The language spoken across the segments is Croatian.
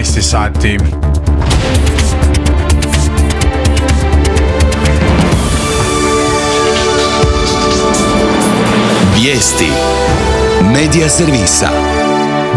12 sati. Vijesti Medija servisa.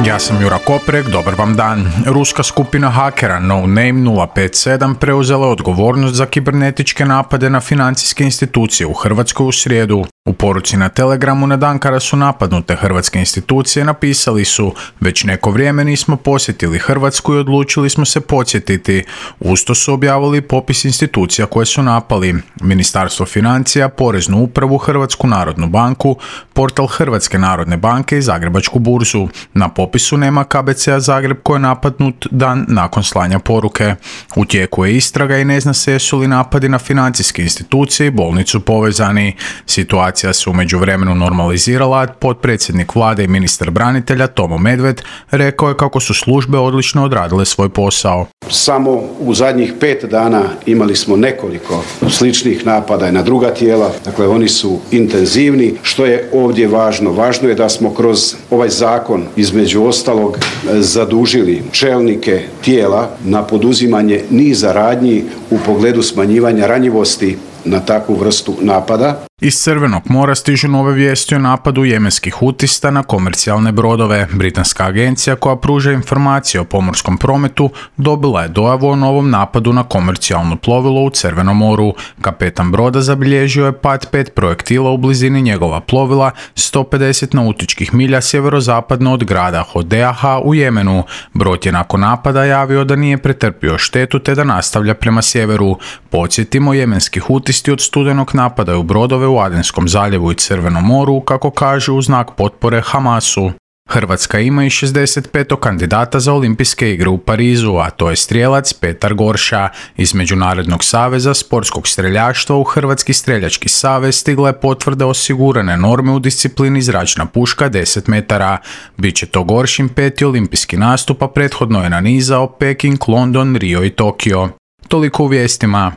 Ja sam Jura Koprek, dobar vam dan. Ruska skupina hakera No Name 057 preuzela odgovornost za kibernetičke napade na financijske institucije u Hrvatskoj u srijedu. U poruci na Telegramu na dan kada su napadnute hrvatske institucije napisali su: već neko vrijeme nismo posjetili Hrvatsku i odlučili smo se podsjetiti. Usto su objavili popis institucija koje su napali: Ministarstvo financija, Poreznu upravu, Hrvatsku narodnu banku, portal Hrvatske narodne banke i Zagrebačku burzu. Na popisu nema KBC-a Zagreb koji je napadnut dan nakon slanja poruke. U tijeku je istraga i ne zna se jesu li napadi na financijske institucije i bolnicu povezani. Situacija se u međuvremenu normalizirala, a potpredsjednik vlade i ministar branitelja Tomo Medved rekao je kako su službe odlično odradile svoj posao. Samo u zadnjih 5 dana imali smo nekoliko sličnih napada na druga tijela, dakle oni su intenzivni. Što je ovdje važno? Važno je da smo kroz ovaj zakon između ostalog zadužili čelnike tijela na poduzimanje niza radnji u pogledu smanjivanja ranjivosti na takvu vrstu napada. Iz Crvenog mora stižu nove vijesti o napadu jemenskih hutista na komercijalne brodove. Britanska agencija koja pruža informacije o pomorskom prometu dobila je dojavu o novom napadu na komercijalno plovilo u Crvenom moru. Kapetan broda zabilježio je pad 5 projektila u blizini njegova plovila 150 nautičkih milja sjeverozapadno od grada Hodeaha u Jemenu. Brod je nakon napada javio da nije pretrpio štetu te da nastavlja prema sjeveru. Podsjetimo, jemenski hutisti od studenog napadaju brodove u Adenskom zaljevu i Crvenom moru, kako kaže, u znak potpore Hamasu. Hrvatska ima i 65. kandidata za olimpijske igre u Parizu, a to je strijelac Petar Gorša. Iz Međunarodnog saveza sportskog streljaštva u Hrvatski streljački savez stigla je potvrda osigurane norme u disciplini zračna puška 10 metara. Biće to Goršin 5. olimpijski nastup, a prethodno je nanizao Peking, London, Rio i Tokio. Toliko u vijestima.